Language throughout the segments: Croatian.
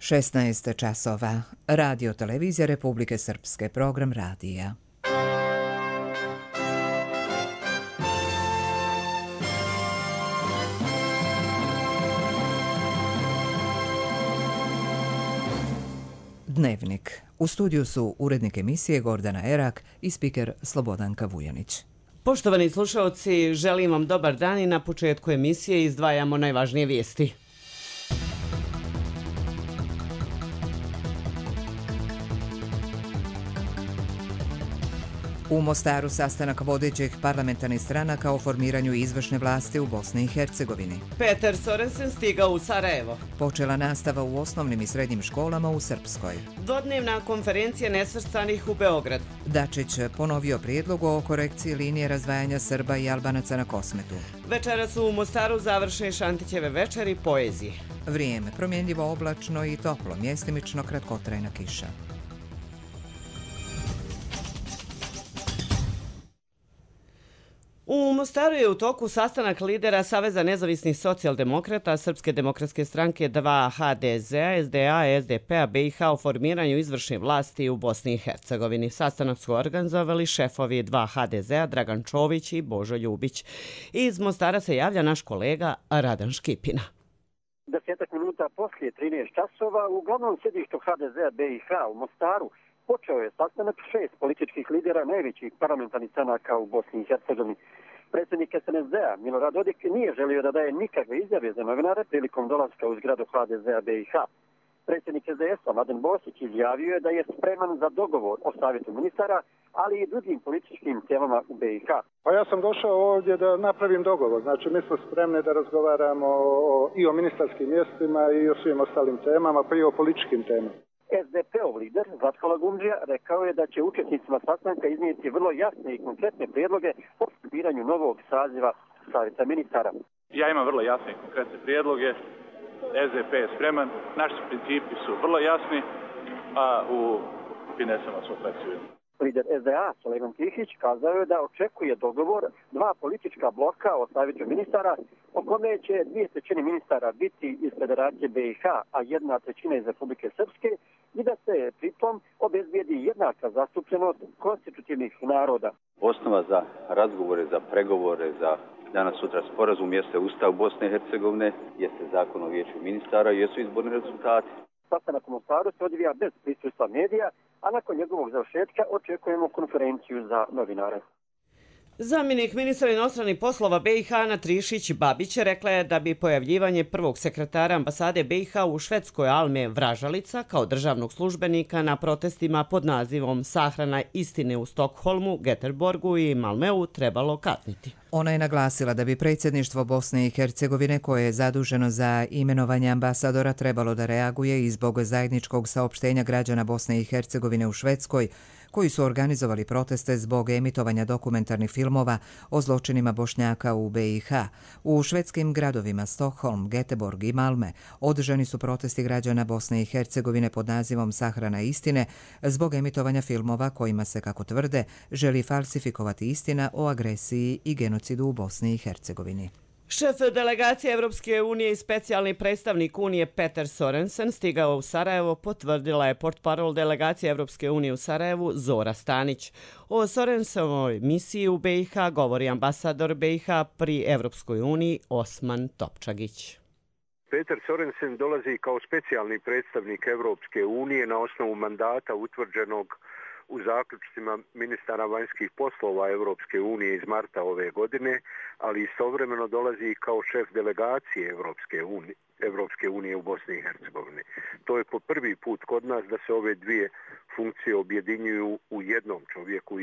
16 časova. Radio Televizija Republike Srpske. Program radija. Dnevnik. U studiju su urednik emisije Gordana Erak i spiker Slobodanka Vujanić. Poštovani slušalci, želim vam dobar dan i na početku emisije izdvajamo najvažnije vijesti. U Mostaru sastanak vodećih parlamentarnih stranaka o formiranju izvršne vlasti u Bosni i Hercegovini. Peter Sorensen stigao u Sarajevo. Počela nastava u osnovnim i srednjim školama u Srpskoj. Dvodnevna konferencija nesvrstanih u Beogradu. Dačić ponovio prijedlog o korekciji linije razdvajanja Srba i Albanaca na Kosmetu. Večera su u Mostaru završene Šantićeve večeri poezije. Vrijeme promjenljivo oblačno i toplo, mjestimično kratkotrajna kiša. U Mostaru je u toku sastanak lidera Saveza nezavisnih socijaldemokrata, Srpske demokratske stranke 2 HDZ-a, SDA, SDP-a, BiH o formiranju izvršne vlasti u Bosni i Hercegovini. Sastanak su organizovali šefovi 2 HDZ-a, Dragan Čović i Božo Ljubić. Iz Mostara se javlja naš kolega Radan Škipina. 10 minuta poslije 13 časova u glavnom sjedištu HDZ-a BiH u Mostaru počeo je sastanak 6 političkih lidera najvećih parlamentarnih stranaka u Bosni i Hercegovini. Predsjednik SNSD-a Milorad Dodik nije želio da daje nikakve izjave za novinare prilikom dolaska u zgradu HDZ-a BiH. Predsjednik SDS-a Mladen Bosić izjavio je da je spreman za dogovor o savjetu ministara, ali i drugim političkim temama u BiH. Pa ja sam došao ovdje da napravim dogovor. Znači, mi smo spremni da razgovaramo i o ministarskim mjestima i o svim ostalim temama, pa i o političkim temama. SDP-ov lider Zlatko Lagumdžija rekao je da će učesnicima sastanka iznijeti vrlo jasne i konkretne prijedloge o formiranju novog saziva savjeta ministara. Ja imam vrlo jasne i konkretne prijedloge. SDP je spreman, naši principi su vrlo jasni, a u finesama smo fleksibilni. Lider SDA Sulejman Tihić kazao je da očekuje dogovor 2 politička bloka o savjetu ministara, o kome će 2/3 ministara biti iz Federacije BiH, a 1/3 iz Republike Srpske, i da se pritom obezbijedi jednaka zastupljenost konstitutivnih naroda. Osnova za razgovore, za pregovore, za danas sutra sporazum jeste Ustav Bosne i Hercegovine, jeste Zakon o vijeću ministara i jesu izborni rezultati. Sastanak u Mostaru se odvija bez prisustva medija, a nakon njegovog završetka očekujemo konferenciju za novinare. Zamjenik ministra inostranih poslova BiH Ana Trišić-Babić rekla je da bi pojavljivanje prvog sekretara ambasade BiH u Švedskoj Alme Vražalica kao državnog službenika na protestima pod nazivom Sahrana istine u Stokholmu, Göteborgu i Malmeu trebalo kazniti. Ona je naglasila da bi predsjedništvo Bosne i Hercegovine, koje je zaduženo za imenovanje ambasadora, trebalo da reaguje i zbog zajedničkog saopštenja građana Bosne i Hercegovine u Švedskoj, koji su organizovali proteste zbog emitovanja dokumentarnih filmova o zločinima Bošnjaka u BiH. U švedskim gradovima Stockholm, Göteborg i Malme održani su protesti građana Bosne i Hercegovine pod nazivom Sahrana istine zbog emitovanja filmova kojima se, kako tvrde, želi falsifikovati istina o agresiji i genocidu u Bosni i Hercegovini. Šef delegacije Evropske unije i specijalni predstavnik Unije Peter Sorensen stigao u Sarajevo, potvrdila je portparol delegacije Evropske unije u Sarajevu Zora Stanić. O Sorensenovoj misiji u BiH govori ambasador BiH pri Evropskoj uniji Osman Topčagić. Peter Sorensen dolazi kao specijalni predstavnik Evropske unije na osnovu mandata utvrđenog u zaključcima ministara vanjskih poslova Evropske unije iz marta ove godine, ali istovremeno dolazi i kao šef delegacije Evropske unije u Bosni i Hercegovini. To je po prvi put kod nas da se ove dvije funkcije objedinjuju u jednom čovjeku, u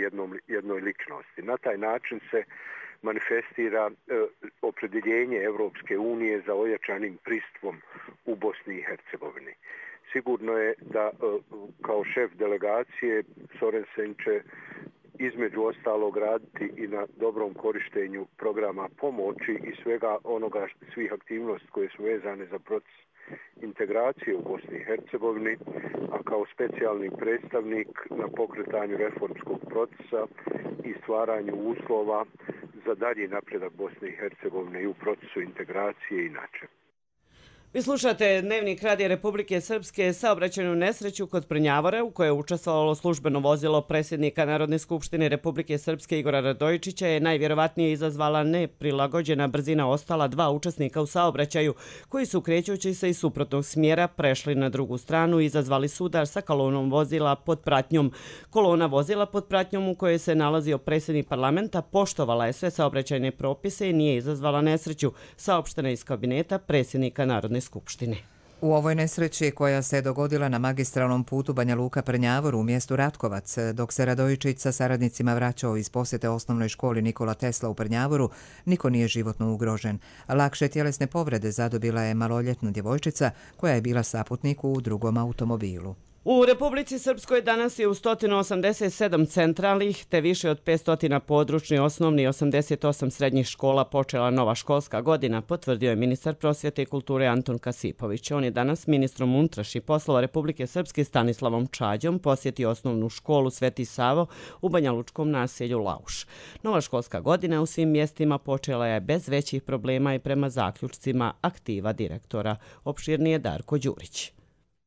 jednoj ličnosti. Na taj način se manifestira opredjeljenje Evropske unije za ojačanim pristupom u Bosni i Hercegovini. Sigurno je da kao šef delegacije Sorensen će između ostalog raditi i na dobrom korištenju programa pomoći i svega onoga, svih aktivnosti koje su vezane za proces integracije u Bosni i Hercegovini, a kao specijalni predstavnik na pokretanju reformskog procesa i stvaranju uslova za dalji napredak Bosne i Hercegovine i u procesu integracije inače. Vi slušate Dnevnik Radija Republike Srpske, saobraćajnu nesreću kod Prnjavora u kojoj je učestvovalo službeno vozilo predsjednika Narodne skupštine Republike Srpske Igora Radojičića je najvjerovatnije izazvala neprilagođena brzina ostala dva učesnika u saobraćaju koji su krećući se iz suprotnog smjera prešli na drugu stranu i izazvali sudar sa kolonom vozila pod pratnjom. Kolona vozila pod pratnjom u kojoj se nalazio predsjednik parlamenta poštovala je sve saobraćajne propise i nije izazvala nesreću, saopštena iz kabineta predsjednika Narodne skupštine. U ovoj nesreći koja se dogodila na magistralnom putu Banja Luka-Prnjavor u mjestu Ratkovac, dok se Radojičić sa saradnicima vraćao iz posjete osnovnoj školi Nikola Tesla u Prnjavoru, niko nije životno ugrožen. Lakše tjelesne povrede zadobila je maloljetna djevojčica koja je bila saputnik u drugom automobilu. U Republici Srpskoj danas je u 187 centralnih te više od 500 područnih osnovnih i 88 srednjih škola počela nova školska godina, potvrdio je ministar prosvjete i kulture Anton Kasipović. On je danas ministrom unutrašnjih poslova Republike Srpske Stanislavom Čađom posjetio osnovnu školu Sveti Savo u banjalučkom naselju Lauš. Nova školska godina u svim mjestima počela je bez većih problema i prema zaključcima aktiva direktora. Opširnije Darko Đurić.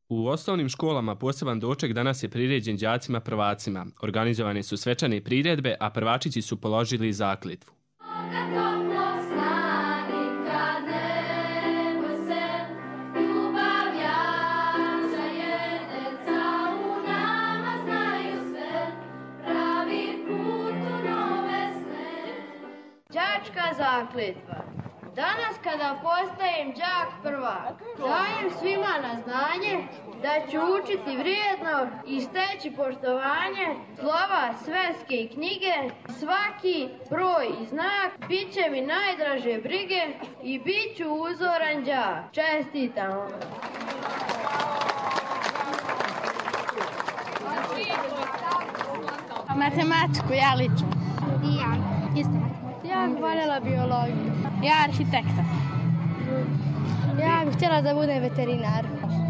U osnovnim školama poseban doček danas je priređen đacima prvacima. Organizovane su svečane priredbe, a prvačići su položili zakletvu. Đačka zakletva. Danas kada postajem đak prvak, dajem svima na znanje da ću učiti vrijedno i steći poštovanje slova sveske i knjige, svaki broj i znak bit će mi najdraže brige i bit ću uzoran đak. Čestitam! Matematiku, ja lično. I ja, isto. Ja bih voljela biologiju. Ja arhitekta. Ja bih htjela da budem veterinar.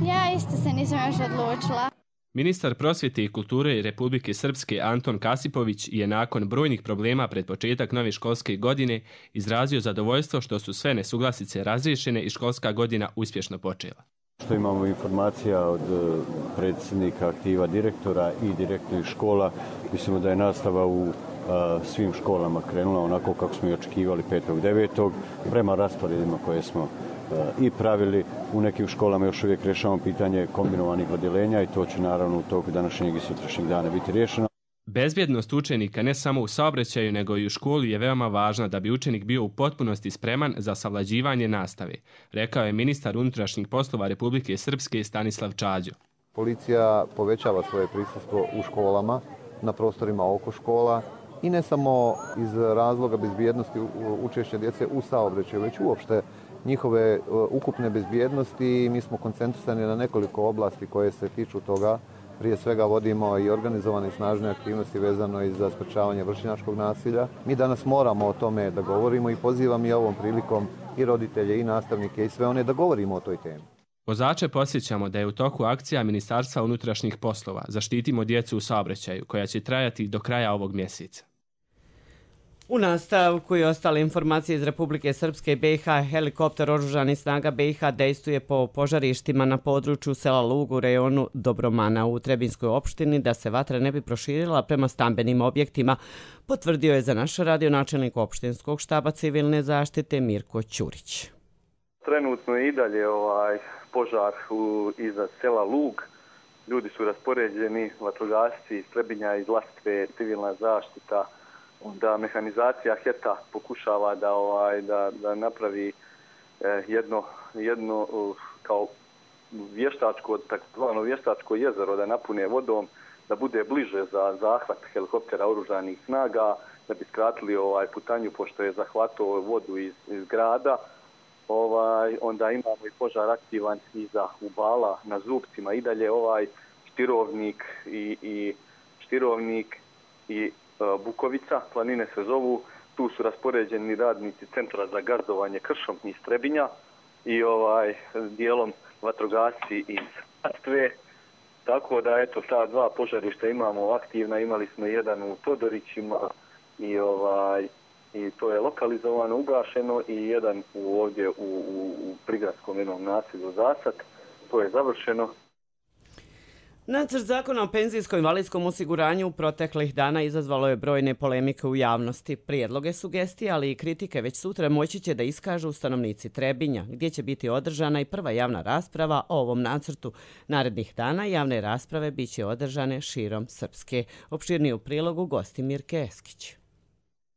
Ja isto se nisam još odlučila. Ministar prosvjete i kulture Republike Srpske Anton Kasipović je nakon brojnih problema pred početak nove školske godine izrazio zadovoljstvo što su sve nesuglasice razriješene i školska godina uspješno počela. Što imamo informacija od predsjednika aktiva direktora i direktornih škola, mislimo da je nastava u svim školama krenula onako kako smo i očekivali 5.9. prema rasporedima koje smo i pravili. U nekim školama još uvijek rješavamo pitanje kombinovanih odjeljenja i to će naravno u toku današnjeg i sutrašnjeg dana biti riješeno. Bezbjednost učenika ne samo u saobraćaju nego i u školi je veoma važna da bi učenik bio u potpunosti spreman za savlađivanje nastave, rekao je ministar unutrašnjih poslova Republike Srpske Stanislav Čađo. Policija povećava svoje prisustvo u školama, na prostorima oko škola i ne samo iz razloga bezbjednosti učešća djece u saobraćaju, već uopšte njihove ukupne bezbjednosti. Mi smo koncentrisani na nekoliko oblasti koje se tiču toga. Prije svega vodimo i organizovane snažne aktivnosti vezano i za sprečavanje vršnjačkog nasilja. Mi danas moramo o tome da govorimo i pozivam i ovom prilikom i roditelje i nastavnike i sve one da govorimo o toj temi. Vozače podsjećamo da je u toku akcija Ministarstva unutrašnjih poslova Zaštitimo djecu u saobraćaju koja će trajati do kraja ovog mjeseca. U nastavku i ostale informacije iz Republike Srpske i BiH, helikopter oružanih snaga BiH dejstvuje po požarištima na području sela Lug u rejonu Dobromana u Trebinskoj opštini da se vatra ne bi proširila prema stambenim objektima, potvrdio je za naš radio načelnik opštinskog štaba civilne zaštite Mirko Ćurić. Trenutno je i dalje požar iza sela Lug. Ljudi su raspoređeni, vatrogasci iz Trebinja, iz Lastve, civilna zaštita. Onda mehanizacija HET-a pokušava da napravi jedno kao vještačko, takozvano vještačko jezero, da napune vodom, da bude bliže za zahvat helikoptera oružanih snaga, da bi skratili putanju pošto je zahvatao vodu iz grada. Onda imamo i požar aktivan iza Ubala na Zubcima i dalje Štirovnik i Bukovica, planine se zovu, tu su raspoređeni radnici Centra za gazdovanje kršom iz Trebinja i dijelom vatrogasci iz Lastve. Tako da eto ta dva požarišta imamo aktivna, imali smo jedan u Todorićima i to je lokalizovano, ugašeno i jedan ovdje u prigradskom jednom naselju Zasad, to je završeno. Nacrt zakona o penzijsko-invalidskom osiguranju proteklih dana izazvalo je brojne polemike u javnosti. Prijedloge, sugestije, ali i kritike već sutra moći će da iskažu stanovnici Trebinja, gdje će biti održana i prva javna rasprava o ovom nacrtu. Narednih dana javne rasprave bit će održane širom Srpske. Opširnije u prilogu gosti Mirke Eskić.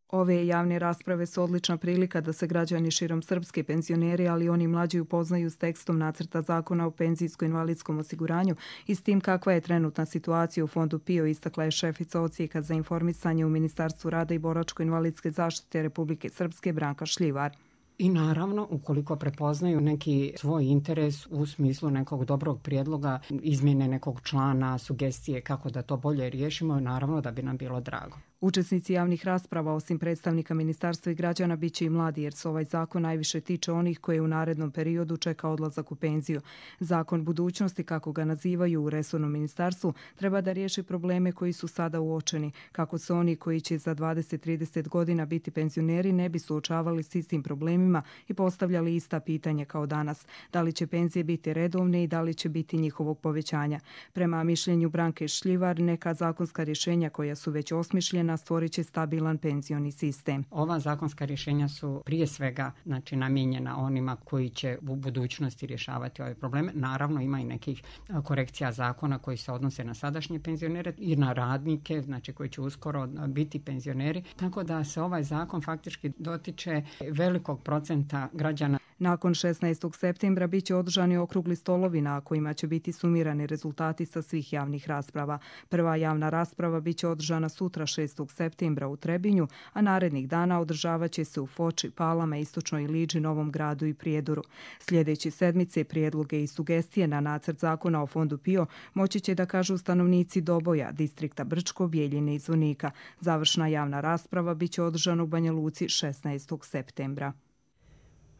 Ove javne rasprave su odlična prilika da se građani širom Srpske, penzioneri, ali i oni mlađi upoznaju s tekstom nacrta zakona o penzijsko-invalidskom osiguranju i s tim kakva je trenutna situacija u Fondu PIO, istakla je šefica Odsjeka za informisanje u Ministarstvu rada i boračko-invalidske zaštite Republike Srpske Branka Šljivar. I naravno, ukoliko prepoznaju neki svoj interes u smislu nekog dobrog prijedloga, izmjene nekog člana, sugestije kako da to bolje riješimo, naravno da bi nam bilo drago. Učesnici javnih rasprava, osim predstavnika ministarstva i građana, bit će i mladi, jer se ovaj zakon najviše tiče onih koje u narednom periodu čeka odlazak u penziju. Zakon budućnosti, kako ga nazivaju u resornom ministarstvu, treba da riješi probleme koji su sada uočeni, kako se oni koji će za 20-30 godina biti penzioneri ne bi suočavali s istim problemima i postavljali ista pitanja kao danas. Da li će penzije biti redovne i da li će biti njihovog povećanja? Prema mišljenju Branke Šljivar, neka zakonska rješenja koja su već osmišljena stvorit će stabilan penzioni sistem. Ova zakonska rješenja su prije svega namijenjena onima koji će u budućnosti rješavati ove probleme. Naravno, ima i nekih korekcija zakona koji se odnose na sadašnje penzionere i na radnike, koji će uskoro biti penzioneri. Tako da se ovaj zakon faktički dotiče velikog procenta građana. Nakon 16. septembra bit će održani okrugli stolovi na kojima će biti sumirani rezultati sa svih javnih rasprava. Prva javna rasprava bit će održana sutra 6. septembra u Trebinju, a narednih dana održavat će se u Foči, Palama, Istočnoj Liđi, Novom Gradu i Prijedoru. Sljedeće sedmice prijedloge i sugestije na nacrt zakona o Fondu PIO moći će da kažu stanovnici Doboja, distrikta Brčko, Bijeljine i Zvonika. Završna javna rasprava bit će održana u Banja Luci 16. septembra.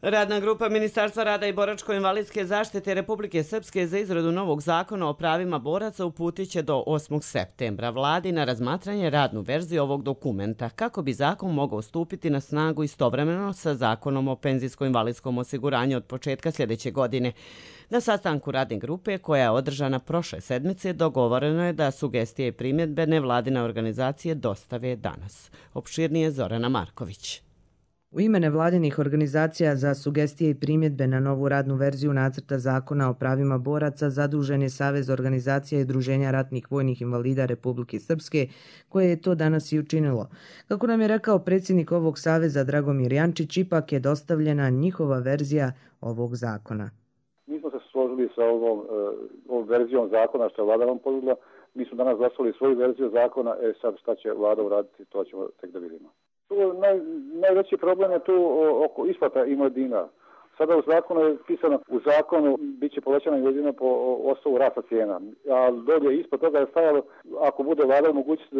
Radna grupa Ministarstva rada i boračko-invalidske zaštite Republike Srpske za izradu novog zakona o pravima boraca uputit će do 8. septembra vladi na razmatranje radnu verziju ovog dokumenta, kako bi zakon mogao stupiti na snagu istovremeno sa zakonom o penzijsko-invalidskom osiguranju od početka sljedeće godine. Na sastanku radne grupe, koja je održana prošle sedmice, dogovoreno je da sugestije i primjedbe nevladine organizacije dostave danas. Opširnije Zorana Marković. U ime nevladinih organizacija za sugestije i primjedbe na novu radnu verziju nacrta zakona o pravima boraca zadužen je Savez organizacija i udruženja ratnih vojnih invalida Republike Srpske, koje je to danas i učinilo. Kako nam je rekao predsjednik ovog saveza Dragomir Jančić, ipak je dostavljena njihova verzija ovog zakona. Mi smo se složili sa ovom verzijom zakona što je vlada nam ponudila. Mi smo danas glasovali svoju verziju zakona, sad šta će vlada uraditi, to ćemo tek da vidimo. Najveći problem je tu oko isplata invalidnina. Sada u zakonu je pisano, u zakonu bit će povećana invalidnina po osnovu rasta cijena, a dolje ispod toga je stajalo ako bude vlada mogućnost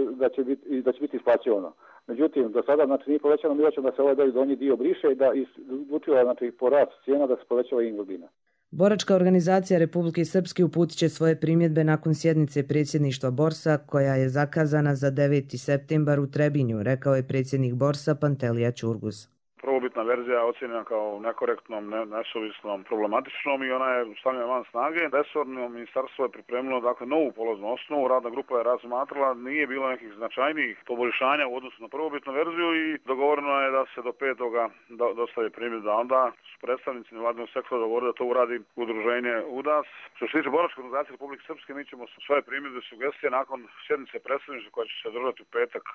da će biti isplaćivano. Međutim, do sada nije povećano, mi hoćemo da se ovaj donji dio briše i da isključivo po rastu cijena da se povećava invalidnina. Boračka organizacija Republike Srpske uputit će svoje primjedbe nakon sjednice predsjedništva Borsa, koja je zakazana za 9. septembar u Trebinju, rekao je predsjednik Borsa Pantelija Ćurgus. Prvobitna verzija je ocjenjena kao nekorektnom, nesuvisnom, problematičnom i ona je stavljena van snage. Resorno ministarstvo je pripremilo novu polaznu osnovu, radna grupa je razmatrala, nije bilo nekih značajnijih poboljšanja u odnosu na prvobitnu verziju i dogovoreno je da se do 5. dostavi primjedba. Onda su predstavnici nevladinog sektora dogovorili da to uradi udruženje UDAS. Što se tiče Boračke organizacije Republike Srpske, mi ćemo svoje primjedbe i sugestije nakon sjednice predstavništva koja će se održati u petak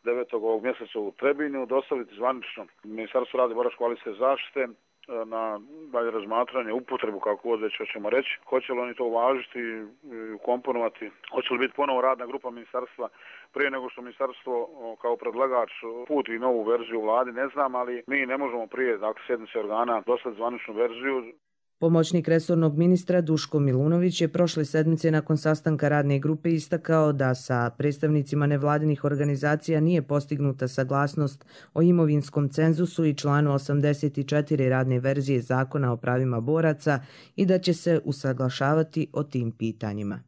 9. ovog mjeseca u Trebinju dostaviti zvanično Ministarstvo rada i boračko-invalidske zaštite na dalje razmatranje, upotrebu, kako god već hoćemo reći. Hoće li oni to uvažiti i ukomponovati? Hoće li biti ponovo radna grupa ministarstva prije nego što ministarstvo kao predlagač puti novu verziju vladi? Ne znam, ali mi ne možemo prije sjednice organa dostaviti zvaničnu verziju. Pomoćnik resornog ministra Duško Milunović je prošle sedmice nakon sastanka radne grupe istakao da sa predstavnicima nevladinih organizacija nije postignuta saglasnost o imovinskom cenzusu i članu 84 radne verzije zakona o pravima boraca i da će se usaglašavati o tim pitanjima.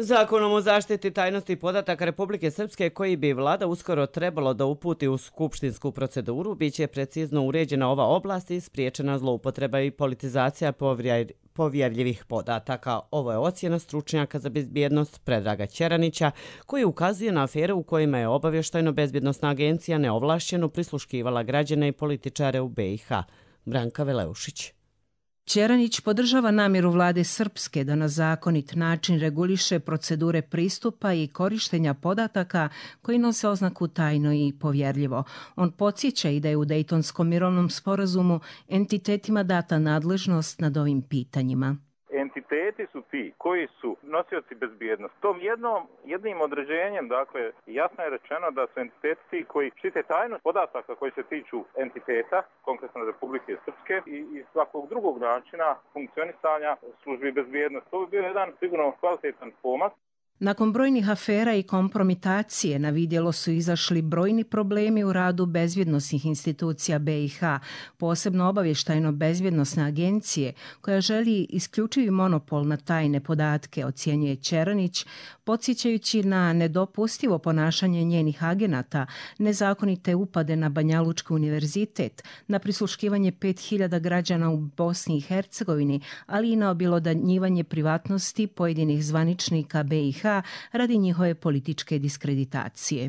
Zakonom o zaštiti tajnosti podataka Republike Srpske, koji bi vlada uskoro trebalo da uputi u skupštinsku proceduru, biće precizno uređena ova oblast i spriječena zloupotreba i politizacija povjerljivih podataka. Ovo je ocjena stručnjaka za bezbjednost Predraga Ćeranića, koji ukazuje na afere u kojima je obavještajno-bezbjednosna agencija neovlašćeno prisluškivala građane i političare u BiH. Branka Veleušić. Ćeranić podržava namjeru vlade Srpske da na zakonit način reguliše procedure pristupa i korištenja podataka koji nose oznaku tajno i povjerljivo. On podsjeća i da je u Dejtonskom mirovnom sporazumu entitetima data nadležnost nad ovim pitanjima. Entiteti su ti koji su nosioci bezbjednosti. Tom jednim određenjem, dakle, jasno je rečeno da su entiteti ti koji štite tajnost podataka koji se tiču entiteta, konkretno Republike Srpske i svakog drugog načina funkcionisanja službi bezbjednosti. To bi bio jedan sigurno kvalitetan pomak. Nakon brojnih afera i kompromitacije na vidjelo su izašli brojni problemi u radu bezbjednosnih institucija BiH, posebno obavještajno-bezbjednosne agencije, koja želi isključivi monopol na tajne podatke, ocjenjuje Ćeranić, podsjećajući na nedopustivo ponašanje njenih agenata, nezakonite upade na Banjalučki univerzitet, na prisluškivanje 5000 građana u Bosni i Hercegovini, ali i na objelodanjivanje privatnosti pojedinih zvaničnika BiH radi njihove političke diskreditacije.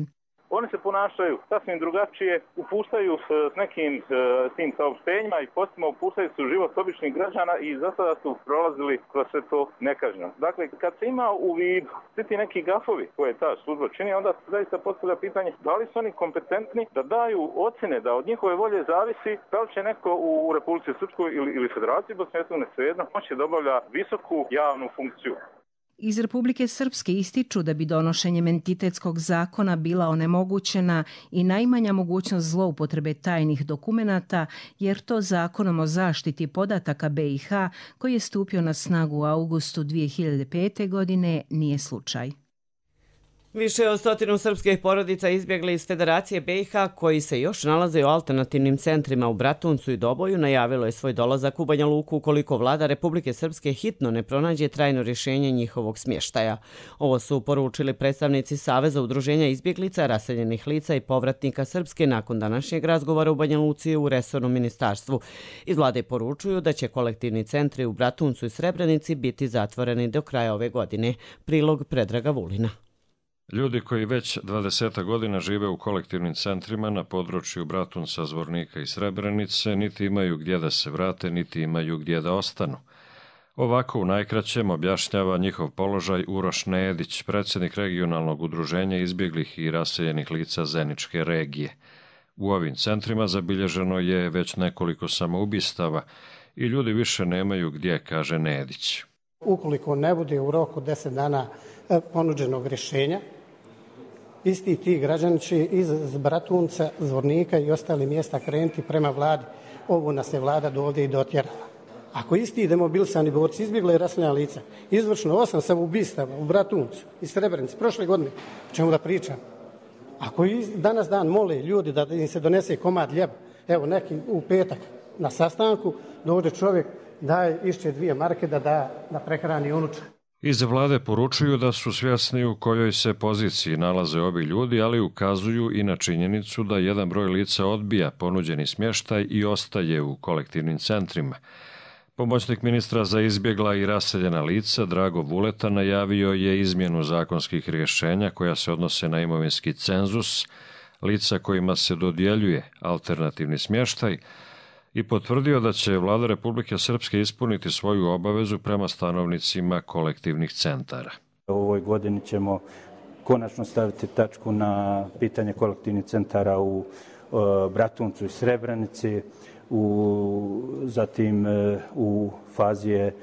Oni se ponašaju sasvim drugačije, upuštaju s nekim tim saopštenjima i postima upuštaju se u život običnih građana i za sada su prolazili kroz sve to nekažnjeno. Dakle, kad se ima u vidu svi ti neki gafovi koje ta služba čini, onda se zaista postavlja pitanje da li su oni kompetentni da daju ocjene da od njihove volje zavisi da li će neko u Republici Srpskoj ili Federaciji Bosne i Hercegovine svejedno moći da obavlja visoku javnu funkciju. Iz Republike Srpske ističu da bi donošenjem entitetskog zakona bila onemogućena i najmanja mogućnost zloupotrebe tajnih dokumenata, jer to Zakonom o zaštiti podataka BiH, koji je stupio na snagu u augustu 2005. godine, nije slučaj. Više od 100 srpskih porodica izbjegli iz Federacije BiH, koji se još nalaze u alternativnim centrima u Bratuncu i Doboju, najavilo je svoj dolazak u Banja Luku ukoliko vlada Republike Srpske hitno ne pronađe trajno rješenje njihovog smještaja. Ovo su poručili predstavnici Saveza udruženja izbjeglica, raseljenih lica i povratnika Srpske nakon današnjeg razgovora u Banja Luci u resornom ministarstvu. Iz vlade poručuju da će kolektivni centri u Bratuncu i Srebrenici biti zatvoreni do kraja ove godine. Prilog Predraga Vulina. Ljudi koji već 20 godina žive u kolektivnim centrima na području Bratunca, Zvornika i Srebrenice niti imaju gdje da se vrate, niti imaju gdje da ostanu. Ovako u najkraćem objašnjava njihov položaj Uroš Nedić, predsjednik regionalnog udruženja izbjeglih i raseljenih lica Zeničke regije. U ovim centrima zabilježeno je već nekoliko samoubistava i ljudi više nemaju gdje, kaže Nedić. Ukoliko ne bude u roku 10 dana ponuđenog rješenja, isti ti građani će iz Bratunca, Zvornika i ostalih mjesta krenuti prema vladi. Ovo nas je vlada do ovdje i dotjerala. Ako isti demobilisani borci izbjegli raseljena lica, izvršeno 8 samoubistava u Bratuncu i Srebrenici prošle godine, o čemu da pričam? Ako danas dan mole ljudi da im se donese komad ljeba, evo neki u petak na sastanku, dođe čovjek, daje išće 2 marke da prehrani unuča. Iz vlade poručuju da su svjesni u kojoj se poziciji nalaze ovi ljudi, ali ukazuju i na činjenicu da jedan broj lica odbija ponuđeni smještaj i ostaje u kolektivnim centrima. Pomoćnik ministra za izbjegla i raseljena lica Drago Vuleta najavio je izmjenu zakonskih rješenja koja se odnose na imovinski cenzus lica kojima se dodjeljuje alternativni smještaj i potvrdio da će vlada Republike Srpske ispuniti svoju obavezu prema stanovnicima kolektivnih centara. U ovoj godini ćemo konačno staviti tačku na pitanje kolektivnih centara u Bratuncu i Srebrenici, zatim u fazi je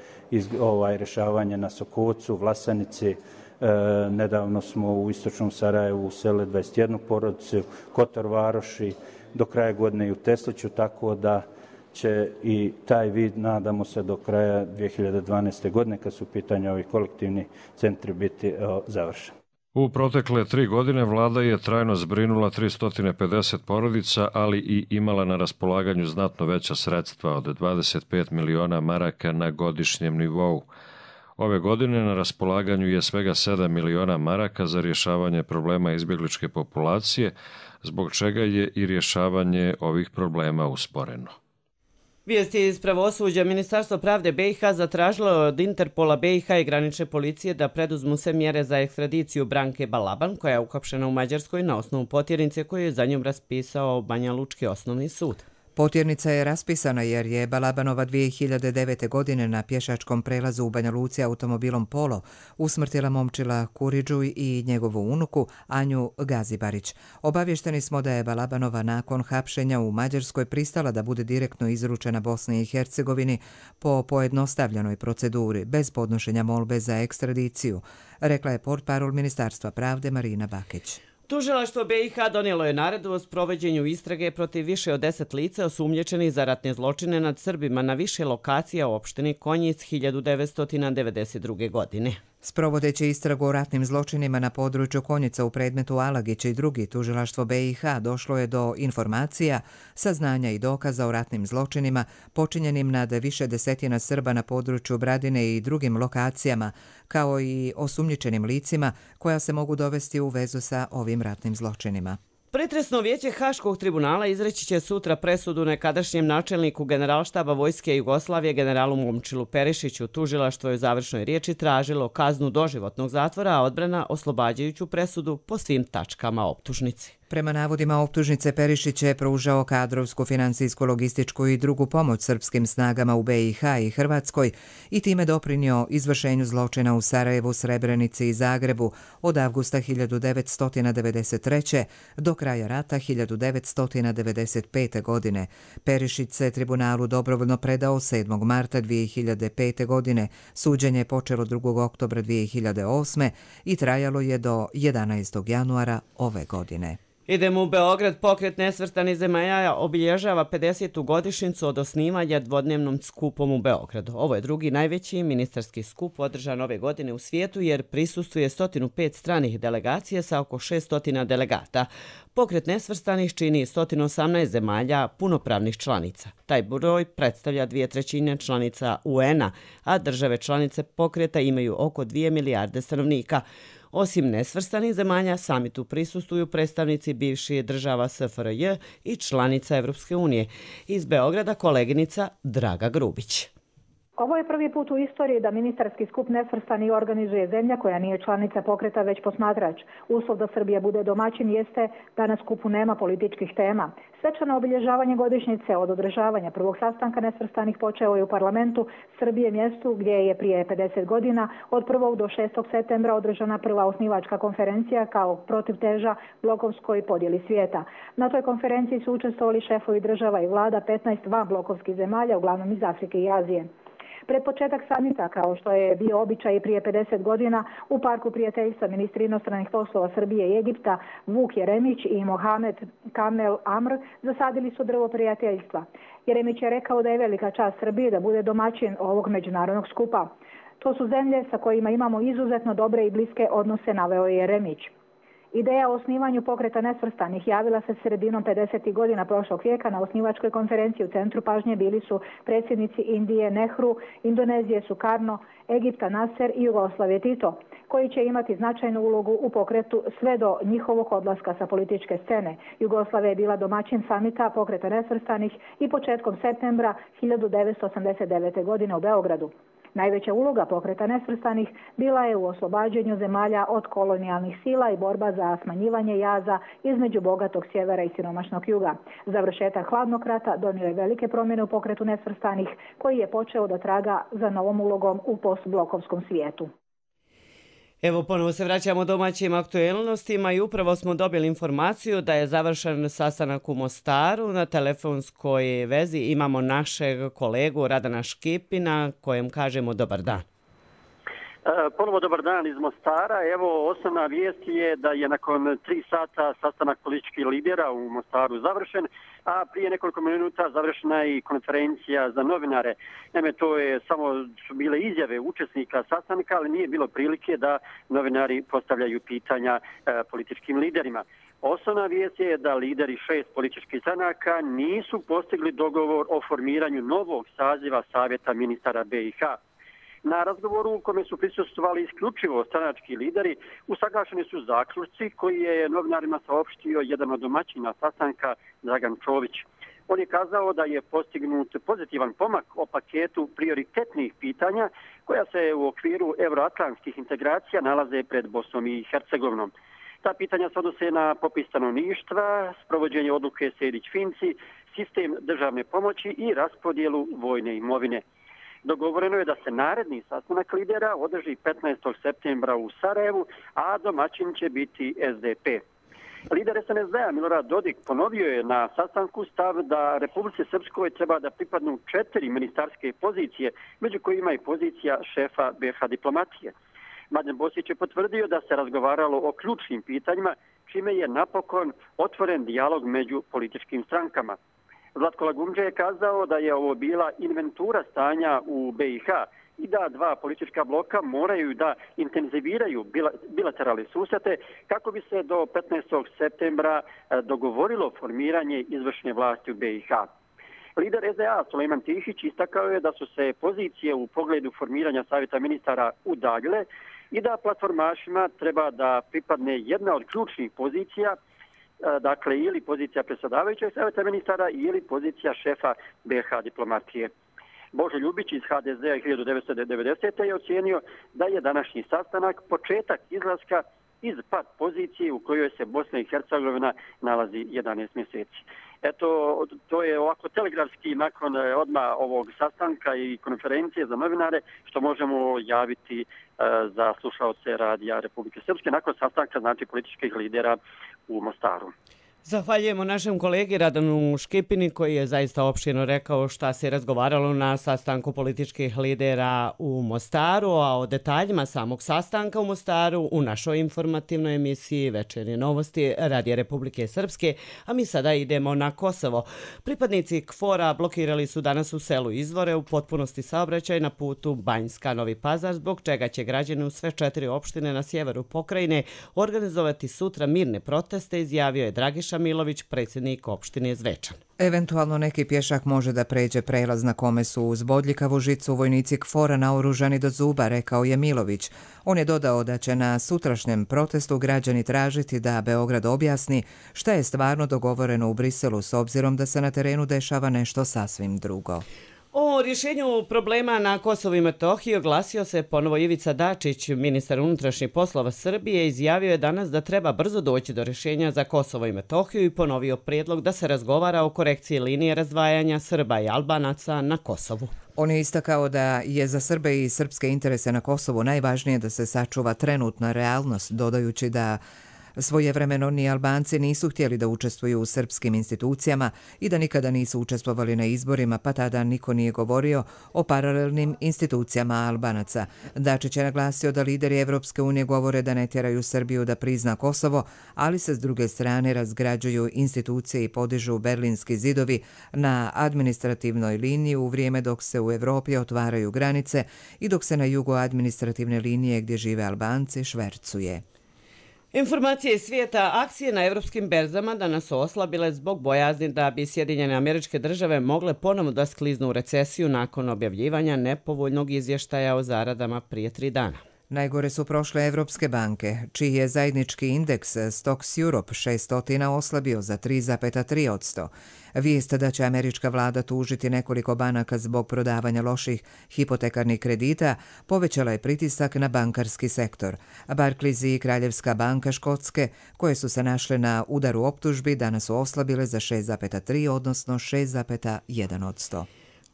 rješavanje na Sokocu, Vlasanici. Nedavno smo u istočnom Sarajevu uselili 21 porodicu, Kotor Varoši, do kraja godine i u Tesliću, tako da će i taj vid, nadamo se, do kraja 2012. godine, kad su u pitanju ovi kolektivni centri, biti završen. U protekle 3 godine vlada je trajno zbrinula 350 porodica, ali i imala na raspolaganju znatno veća sredstva od 25 miliona maraka na godišnjem nivou. Ove godine na raspolaganju je svega 7 miliona maraka za rješavanje problema izbjegličke populacije, zbog čega je i rješavanje ovih problema usporeno. Vijesti iz pravosuđa. Ministarstvo pravde BiH zatražilo od Interpola BiH i granične policije da preduzmu sve mjere za ekstradiciju Branke Balaban, koja je uhapšena u Mađarskoj na osnovu potjernice koju je za njom raspisao Banja Lučki osnovni sud. Potjernica je raspisana jer je Balabanova 2009. godine na pješačkom prelazu u Banja Luci automobilom Polo usmrtila momčila Kuriđu i njegovu unuku Anju Gazibarić. Obavješteni smo da je Balabanova nakon hapšenja u Mađarskoj pristala da bude direktno izručena Bosni i Hercegovini po pojednostavljenoj proceduri, bez podnošenja molbe za ekstradiciju, rekla je portparol Ministarstva pravde Marina Bakić. Tužilaštvo BiH donijelo je naredbu o sprovođenju istrage protiv više od 10 lica osumnjičenih za ratne zločine nad Srbima na više lokacija u opštini Konjic 1992. godine. Sprovodeći istragu o ratnim zločinima na području Konjica u predmetu Alagić i drugi, tužilaštvo BiH došlo je do informacija, saznanja i dokaza o ratnim zločinima počinjenim nad više desetina Srba na području Bradine i drugim lokacijama, kao i osumnjičenim licima koja se mogu dovesti u vezu sa ovim ratnim zločinima. Pretresno vijeće Haškog tribunala izreći će sutra presudu nekadašnjem načelniku Generalštaba Vojske Jugoslavije generalu Momčilu Perišiću. Tužilaštvo je u završnoj riječi tražilo kaznu doživotnog zatvora, a odbrana oslobađajuću presudu po svim tačkama optužnici. Prema navodima optužnice, Perišić je pružao kadrovsku, finansijsku, logističku i drugu pomoć srpskim snagama u BiH i Hrvatskoj i time doprinio izvršenju zločina u Sarajevu, Srebrenici i Zagrebu od avgusta 1993. do kraja rata 1995. godine. Perišić se tribunalu dobrovoljno predao 7. marta 2005. godine. Suđenje je počelo 2. oktobra 2008. i trajalo je do 11. januara ove godine. Idemo u Beograd. Pokret nesvrstanih zemalja obilježava 50. godišnjicu od osnivanja dvodnevnom skupom u Beogradu. Ovo je drugi najveći ministarski skup održan ove godine u svijetu jer prisustuje 105 stranih delegacija sa oko 600 delegata. Pokret nesvrstanih čini 118 zemalja punopravnih članica. Taj broj predstavlja 2/3 članica UN-a, a države članice pokreta imaju oko 2 milijarde stanovnika. Osim nesvrstanih zemalja, samitu prisustuju predstavnici bivših država SFRJ i članica Evropske unije. Iz Beograda koleginica Draga Grubić. Ovo je prvi put u istoriji da ministarski skup nesvrstani organizuje zemlja koja nije članica pokreta već posmatrač. Uslov da Srbija bude domaćin jeste da na skupu nema političkih tema. Svečano obilježavanje godišnjice od održavanja prvog sastanka nesvrstanih počeo je u parlamentu Srbije, mjestu gdje je prije 50 godina od 1. do 6. septembra održana prva osnivačka konferencija kao protivteža blokovskoj podjeli svijeta. Na toj konferenciji su učestvovali šefovi država i vlada 15 vanblokovskih zemalja, uglavnom iz Afrike i Azije. Pred početak samita, kao što je bio običaj prije 50 godina, u Parku prijateljstva ministri inostranih poslova Srbije i Egipta Vuk Jeremić i Mohamed Kamel Amr zasadili su drvo prijateljstva. Jeremić je rekao da je velika čast Srbije da bude domaćin ovog međunarodnog skupa. To su zemlje sa kojima imamo izuzetno dobre i bliske odnose, naveo je Jeremić. Ideja o osnivanju pokreta nesvrstanih javila se sredinom 50. godina prošlog vijeka. Na osnivačkoj konferenciji u centru pažnje bili su predsjednici Indije Nehru, Indonezije Sukarno, Egipta Nasser i Jugoslavije Tito, koji će imati značajnu ulogu u pokretu sve do njihovog odlaska sa političke scene. Jugoslavija je bila domaćin samita pokreta nesvrstanih i početkom septembra 1989. godine u Beogradu. Najveća uloga pokreta nesvrstanih bila je u oslobađanju zemalja od kolonijalnih sila i borba za smanjivanje jaza između bogatog sjevera i siromašnog juga. Završetak hladnog rata donio je velike promjene u pokretu nesvrstanih, koji je počeo da traga za novom ulogom u postblokovskom svijetu. Evo, ponovo se vraćamo domaćim aktuelnostima i upravo smo dobili informaciju da je završen sastanak u Mostaru. Na telefonskoj vezi imamo našeg kolegu Radana Škipina, kojem kažemo dobar dan. Ponovo dobar dan iz Mostara. Evo, osnovna vijest je da je nakon 3 sata sastanak političkih lidera u Mostaru završen, a prije nekoliko minuta završena je i konferencija za novinare. Naime, to je su bile izjave učesnika sastanka, ali nije bilo prilike da novinari postavljaju pitanja političkim liderima. Osnovna vijest je da lideri 6 političkih stranaka nisu postigli dogovor o formiranju novog saziva Savjeta ministara BiH. Na razgovoru u kome su prisustvovali isključivo stranački lideri, usaglašeni su zaključci koji je novinarima saopštio jedan od domaćina sastanka, Dragan Čović. On je kazao da je postignut pozitivan pomak o paketu prioritetnih pitanja koja se u okviru euroatlantskih integracija nalaze pred Bosnom i Hercegovinom. Ta pitanja se odnose na popis stanovništva, sprovođenje odluke Sejdić-Finci, sistem državne pomoći i raspodjelu vojne imovine. Dogovoreno je da se naredni sastanak lidera održi 15. septembra u Sarajevu, a domaćin će biti SDP. Lider SNSD-a Milorad Dodik ponovio je na sastanku stav da Republici Srpskoj treba da pripadnu 4 ministarske pozicije, među kojima i pozicija šefa BiH diplomatije. Mladen Bosić je potvrdio da se razgovaralo o ključnim pitanjima, čime je napokon otvoren dijalog među političkim strankama. Zlatko Lagumdže je kazao da je ovo bila inventura stanja u BiH i da dva politička bloka moraju da intenziviraju bilateralne susrete kako bi se do 15. septembra dogovorilo formiranje izvršne vlasti u BiH. Lider SDA Sulejman Tihić istakao je da su se pozicije u pogledu formiranja savjeta ministara udaljile i da platformašima treba da pripadne jedna od ključnih pozicija, dakle ili pozicija predsjedavajućeg savjeta ministara ili pozicija šefa BiH diplomatije. Božo Ljubić iz HDZ-a 1990. je ocijenio da je današnji sastanak početak izlaska iz pat pozicije u kojoj se Bosna i Hercegovina nalazi 11 mjeseci. Eto, to je ovako telegrafski nakon odmah ovog sastanka i konferencije za novinare što možemo javiti za slušaoce radija Republike Srpske nakon sastanka znači političkih lidera u Mostaru. Zahvaljujemo našem kolegi Radanu Škipini koji je zaista opširno rekao šta se razgovaralo na sastanku političkih lidera u Mostaru, a o detaljima samog sastanka u Mostaru u našoj informativnoj emisiji Večernje novosti Radija Republike Srpske, a mi sada idemo na Kosovo. Pripadnici KFOR-a blokirali su danas u selu Izvore u potpunosti saobraćaj na putu Banjska-Novi Pazar, zbog čega će građani u sve 4 opštine na sjeveru pokrajine organizovati sutra mirne proteste, izjavio je Dragiša Milović, predsjednik opštine Zvečan. Eventualno neki pješak može da pređe prelaz na kome su uz bodljikavu žicu vojnici KFOR-a naoružani do zuba, rekao je Milović. On je dodao da će na sutrašnjem protestu građani tražiti da Beograd objasni šta je stvarno dogovoreno u Briselu s obzirom da se na terenu dešava nešto sasvim drugo. O rješenju problema na Kosovu i Metohiji oglasio se ponovo Ivica Dačić, ministar unutrašnjih poslova Srbije, izjavio je danas da treba brzo doći do rješenja za Kosovo i Metohiju i ponovio prijedlog da se razgovara o korekciji linije razdvajanja Srba i Albanaca na Kosovu. On je istakao da je za Srbe i srpske interese na Kosovu najvažnije da se sačuva trenutna realnost, dodajući da svojevremeno ni Albanci nisu htjeli da učestvuju u srpskim institucijama i da nikada nisu učestvovali na izborima, pa tada niko nije govorio o paralelnim institucijama Albanaca. Dačić je naglasio da lideri Evropske unije govore da ne tjeraju Srbiju da prizna Kosovo, ali se s druge strane razgrađuju institucije i podižu berlinski zidovi na administrativnoj liniji u vrijeme dok se u Evropi otvaraju granice i dok se na jugu administrativne linije gdje žive Albanci švercuje. Informacije iz svijeta, akcije na evropskim berzama danas su oslabile zbog bojazni da bi Sjedinjene Američke Države mogle ponovno da skliznu u recesiju nakon objavljivanja nepovoljnog izvještaja o zaradama prije 3 dana. Najgore su prošle evropske banke, čiji je zajednički indeks Stocks Europe 600 oslabio za 3,3%. Vijest da će američka vlada tužiti nekoliko banaka zbog prodavanja loših hipotekarnih kredita povećala je pritisak na bankarski sektor. Barclays i Kraljevska banka Škotske, koje su se našle na udaru optužbi, danas su oslabile za 6,3, odnosno 6,1%.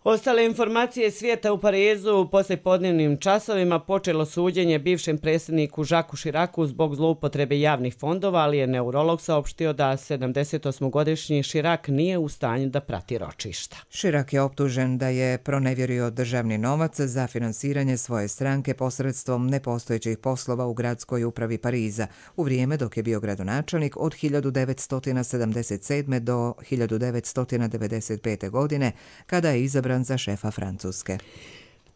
Ostale informacije svijeta u Parizu u poslijepodnevnim časovima počelo suđenje bivšem predsjedniku Jacques Chiracu zbog zloupotrebe javnih fondova, ali je neurolog saopštio da 78-godišnji Chirac nije u stanju da prati ročišta. Chirac je optužen da je pronevjerio državni novac za finansiranje svoje stranke posredstvom nepostojećih poslova u gradskoj upravi Pariza u vrijeme dok je bio gradonačelnik od 1977. do 1995. godine kada je izabran za šefa Francuske.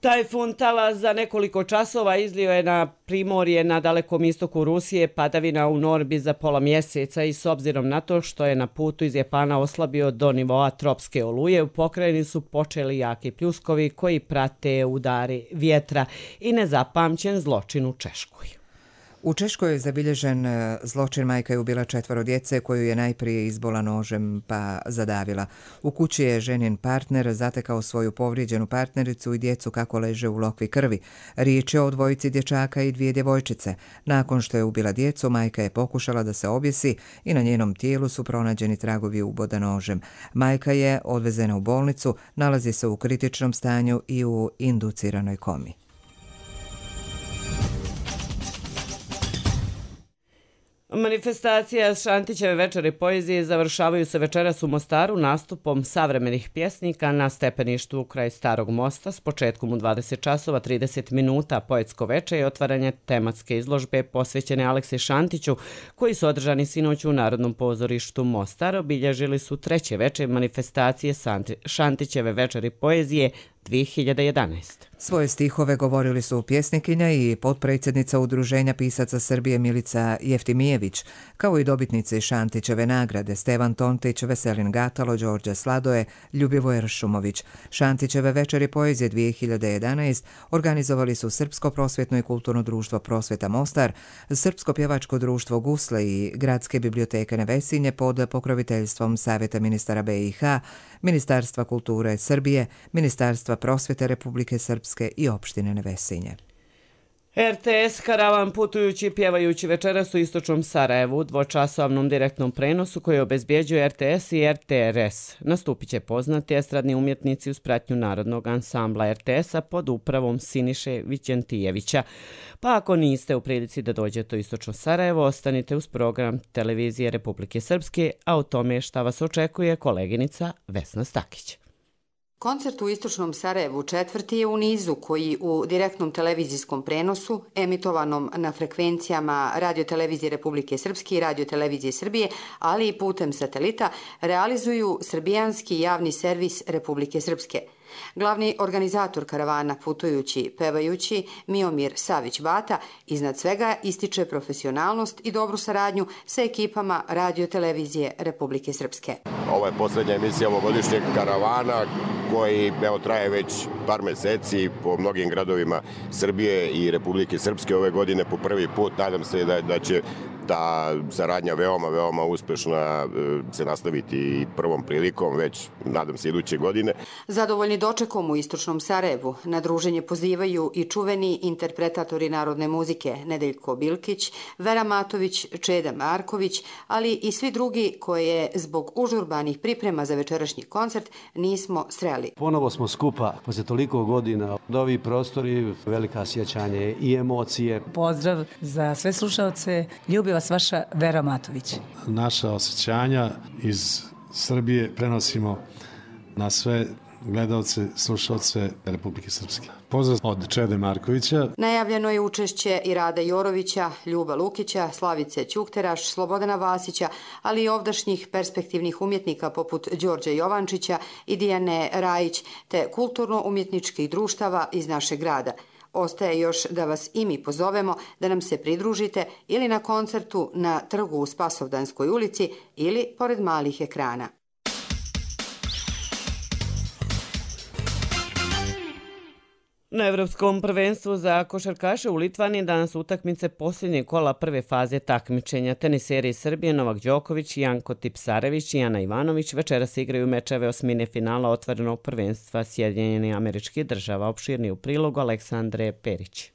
Tajfun Talas za nekoliko časova izlio je na primorje na dalekom istoku Rusije padavina u Norbi za pola mjeseca i s obzirom na to što je na putu iz Japana oslabio do nivoa tropske oluje, u pokrajini su počeli jaki pljuskovi koji prate udari vjetra i nezapamćen zločin u Češkoj. U Češkoj je zabilježen zločin. Majka je ubila 4 djece koju je najprije izbola nožem pa zadavila. U kući je ženin partner zatekao svoju povrijeđenu partnericu i djecu kako leže u lokvi krvi. Riječ je o 2 dječaka i 2 djevojčice. Nakon što je ubila djecu, majka je pokušala da se objesi i na njenom tijelu su pronađeni tragovi uboda nožem. Majka je odvezena u bolnicu, nalazi se u kritičnom stanju i u induciranoj komi. Manifestacija Šantićeve večeri poezije završavaju se večeras u Mostaru nastupom savremenih pjesnika na stepeništu kraj Starog mosta s početkom u 20 časova 30 minuta. Poetsko veče i otvaranje tematske izložbe posvećene Aleksi Šantiću koji su održani sinoć u Narodnom pozorištu Mostar. Obilježili su 3. veče manifestacije Šantićeve večeri poezije 2011. Svoje stihove govorili su pjesnikinja i potpredsjednica Udruženja pisaca Srbije Milica Jeftimijević, kao i dobitnici Šantićeve nagrade Stevan Tontić, Veselin Gatalo, Đorđe Sladoje, Ljubivoje Ršumović. Šantićeve večeri poezije 2011 organizovali su Srpsko prosvjetno i kulturno društvo Prosvjeta Mostar, Srpsko pjevačko društvo Gusle i Gradske biblioteke Nevesinje pod pokroviteljstvom Savjeta ministara BiH, Ministarstva kulture Srbije, Ministarstva prosvjete Republike Srpske i opštine Nevesinje. RTS karavan putujući i pjevajući večeras u istočnom Sarajevu u 2-časovnom direktnom prenosu koji obezbjeđuje RTS i RTRS. Nastupit će poznati estradni umjetnici uz pratnju Narodnog ansambla RTS-a pod upravom Siniše Vićentijevića. Pa ako niste u prilici da dođete u istočno Sarajevo, ostanite uz program Televizije Republike Srpske, a o tome šta vas očekuje koleginica Vesna Stakić. Koncert u istočnom Sarajevu 4. je u nizu koji u direktnom televizijskom prenosu, emitovanom na frekvencijama Radio-televizije Republike Srpske i Radio-televizije Srbije, ali i putem satelita, realizuju srbijanski javni servis Republike Srpske. Glavni organizator karavana putujući, pevajući, Miomir Savić-Bata, iznad svega ističe profesionalnost i dobru saradnju sa ekipama Radio-televizije Republike Srpske. Ovo je posljednja emisija ovogodišnjeg karavana koji traje već par meseci po mnogim gradovima Srbije i Republike Srpske. Ove godine po prvi put nadam se da će ta saradnja veoma uspešna se nastaviti i prvom prilikom, već nadam se iduće godine. Zadovoljni dočekom u istočnom Sarajevu na druženje pozivaju i čuveni interpretatori narodne muzike Nedeljko Bilkić, Vera Matović, Čeda Marković, ali i svi drugi koje zbog užurbanih priprema za večerašnji koncert nismo sreli. Ponovo smo skupa posle toliko godina. Ovi prostori, velika sjećanje i emocije. Pozdrav za sve slušalce. Ljubi vas vaša Vera Matović. Naša osjećanja iz Srbije prenosimo na sve gledalce, slušalce Republike Srpske. Pozdrav od Čede Markovića. Najavljeno je učešće i Rada Jorovića, Ljuba Lukića, Slavice Ćukteraš, Slobodana Vasića, ali i ovdašnjih perspektivnih umjetnika poput Đorđa Jovančića i Dijane Rajić, te kulturno-umjetničkih društava iz našeg grada. Ostaje još da vas i mi pozovemo da nam se pridružite ili na koncertu na trgu u Spasovdanskoj ulici ili pored malih ekrana. Na Evropskom prvenstvu za košarkaše u Litvani danas utakmice posljednje kola prve faze takmičenja. Teniseri iz Srbije Novak Đoković, Janko Tipsarević i Ana Ivanović večeras igraju mečeve osmine finala otvorenog prvenstva Sjedinjenih Američkih Država. Opširni u prilogu Aleksandre Perić.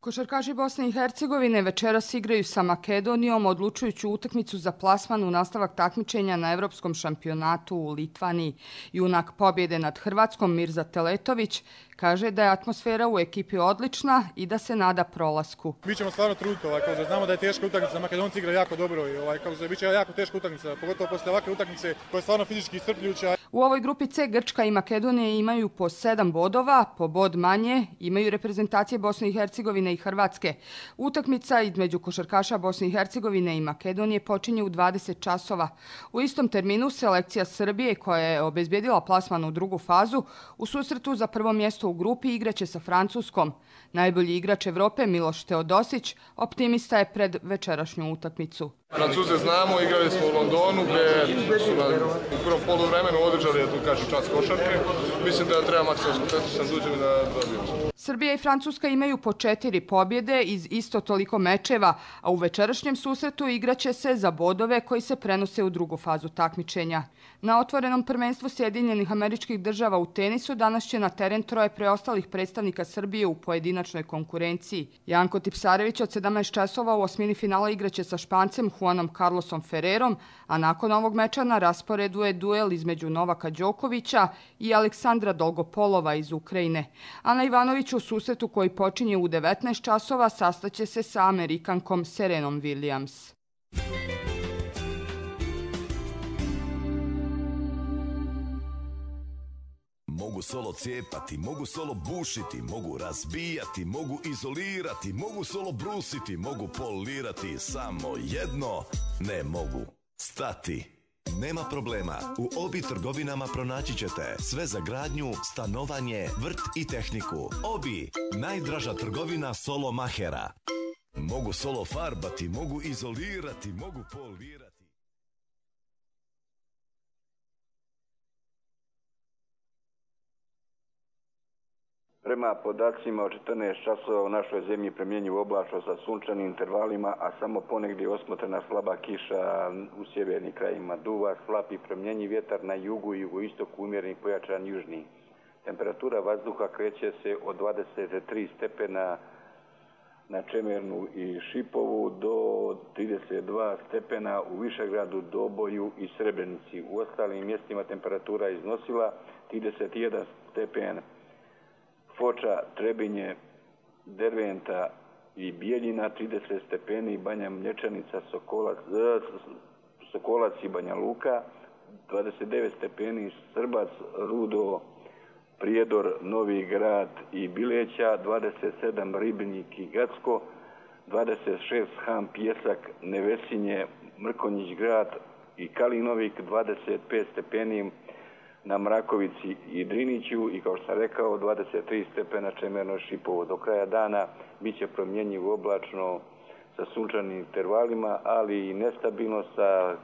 Košarkaši Bosne i Hercegovine večeras igraju sa Makedonijom odlučujuću utakmicu za plasman u nastavak takmičenja na Evropskom šampionatu u Litvani. Junak pobjede nad Hrvatskom Mirza Teletović kaže da je atmosfera u ekipi odlična i da se nada prolasku. Mi ćemo stvarno truditi, znamo da je teška utakmica, Makedonci igraju jako dobro i bit će jako teška utakmica, pogotovo posle ovakve utakmice koja je stvarno fizički iscrpljujuća. U ovoj grupi C Grčka i Makedonija imaju po 7 bodova, po bod manje imaju reprezentacije Bosne i Hercegovine i Hrvatske. Utakmica između košarkaša Bosne i Hercegovine i Makedonije počinje u 20 časova. U istom terminu selekcija Srbije, koja je obezbjedila plasman u drugu fazu, u susretu za prvo mjesto u grupi igraće sa Francuskom. Najbolji igrač Evrope Miloš Teodosić optimista je pred večerašnju utakmicu. Francuze znamo, igrali smo u Londonu gdje su nam u prvom poluvremenu održali, tu kažu, čas košarke. Mislim da treba maksimalno skoncentrisan duđem i da dobijemo. Srbija i Francuska imaju po 4 pobjede iz isto toliko mečeva, a u večerašnjem susretu igraće se za bodove koji se prenose u drugu fazu takmičenja. Na otvorenom prvenstvu Sjedinjenih Američkih Država u tenisu danas će na teren troje preostalih predstavnika Srbije u pojedinačnoj konkurenciji. Janko Tipsarević od 17 časova u osmini finala igraće sa Špancem Juanom Carlosom Ferrerom, a nakon ovog meča na rasporedu je duel između Novaka Đokovića i Aleksandra Dolgopolova iz Ukrajine. Ana Ivanović u susretu koji počinje u 19 časova sastaće se sa Amerikankom Serenom Williams. Mogu solo cijepati, mogu solo bušiti, mogu razbijati, mogu izolirati, mogu solo brusiti, mogu polirati, samo jedno ne mogu stati. Nema problema, u Obi trgovinama pronaći ćete sve za gradnju, stanovanje, vrt i tehniku. Obi, najdraža trgovina solo mahera. Mogu solo farbati, mogu izolirati, mogu polirati. Prema podacima od 14 časova u našoj zemlji premjenjivo oblačno sa sunčanim intervalima, a samo ponegdje osmotrena slaba kiša u sjevernim krajima. Duva slab i premjenjiv vjetar na jugu i jugoistoku, umjereni pojačan južni. Temperatura vazduha kreće se od 23 stepena na Čemernu i Šipovu do 32 stepena u Višegradu, Doboju i Srebrenici. U ostalim mjestima temperatura iznosila 31 stepen. Foča, Trebinje, Derventa i Bijeljina 30 stepeni, Banja Mlječanica, Sokolac i Banja Luka 29 stepeni, Srbac, Rudo, Prijedor, Novi Grad i Bileća 27, Ribnik i Gacko 26, Ham, Pjesak, Nevesinje, Mrkonjić Grad i Kalinovik 25 stepeni na Mrakovici i Driniću i kao što sam rekao 23 stepena Čemerno Šipovo. Do kraja dana bit će promjenjivo oblačno sa sunčanim intervalima, ali i nestabilno sa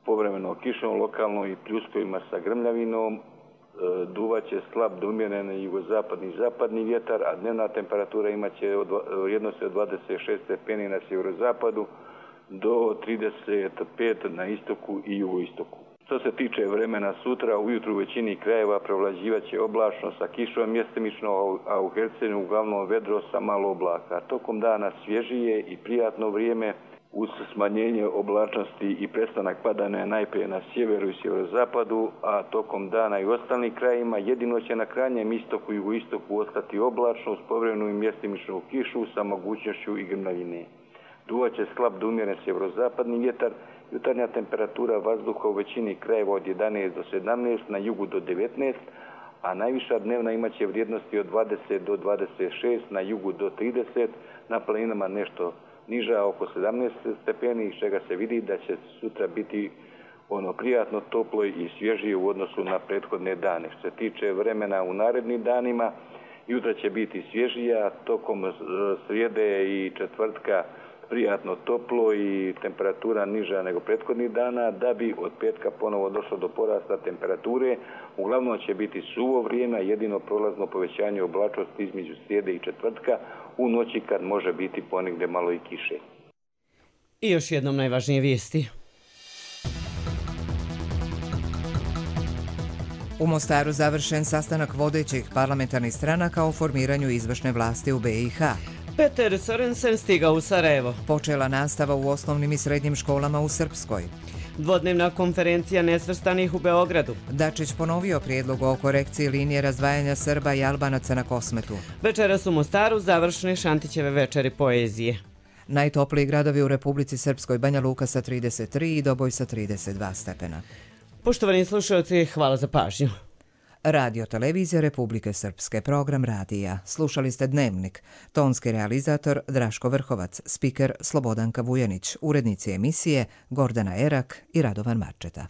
povremeno kišom lokalno i pljuskovima sa grmljavinom. Duvaće slab do umjeren jugozapadni i zapadni vjetar, a dnevna temperatura imaće vrijednosti od 26 stepeni na sjeverozapadu do 35 na istoku i jugoistoku. Što se tiče vremena sutra, ujutru u većini krajeva prevlađivaće oblačno sa kišom mjestimično, a u Hercegovini uglavnom vedro sa malo oblaka. Tokom dana svježije i prijatno vrijeme uz smanjenje oblačnosti i prestanak padanja najprije na sjeveru i sjeverozapadu, a tokom dana i u ostalim krajima jedino će na krajnjem istoku i jugoistoku ostati oblačno uz povremenu i mjestimičnu kišu sa mogućnošću i grmljavine. Duvaće slab do umjeren sjeverozapadni vjetar. Jutarnja temperatura vazduha u većini krajeva od 11 do 17, na jugu do 19, a najviša dnevna imaće vrijednosti od 20 do 26, na jugu do 30, na planinama nešto niža oko 17 stepeni, iz čega se vidi da će sutra biti prijatno toplo i svježije u odnosu na prethodne dane. Što se tiče vremena u narednim danima, jutra će biti svježija, tokom srijede i četvrtka prijatno toplo i temperatura niža nego prethodnih dana, da bi od petka ponovo došlo do porasta temperature. Uglavnom će biti suvo vrijeme, jedino prolazno povećanje oblačnosti između srijede i četvrtka, u noći kad može biti ponegdje malo i kiše. I još jednom najvažnije vijesti. U Mostaru završen sastanak vodećih parlamentarnih stranaka o formiranju izvršne vlasti u BiH. Peter Sorensen stigao u Sarajevo. Počela nastava u osnovnim i srednjim školama u Srpskoj. Dvodnevna konferencija nesvrstanih u Beogradu. Dačić ponovio prijedlog o korekciji linije razdvajanja Srba i Albanaca na Kosmetu. Večeras u Mostaru završene Šantićeve večeri poezije. Najtopliji gradovi u Republici Srpskoj: Banja Luka sa 33 i Doboj sa 32 stepena. Poštovani slušalci, hvala za pažnju. Radio Televizija Republike Srpske, program radija. Slušali ste Dnevnik. Tonski realizator Draško Vrhovac, spiker Slobodanka Vujanić, urednici emisije Gordana Erak i Radovan Marčeta.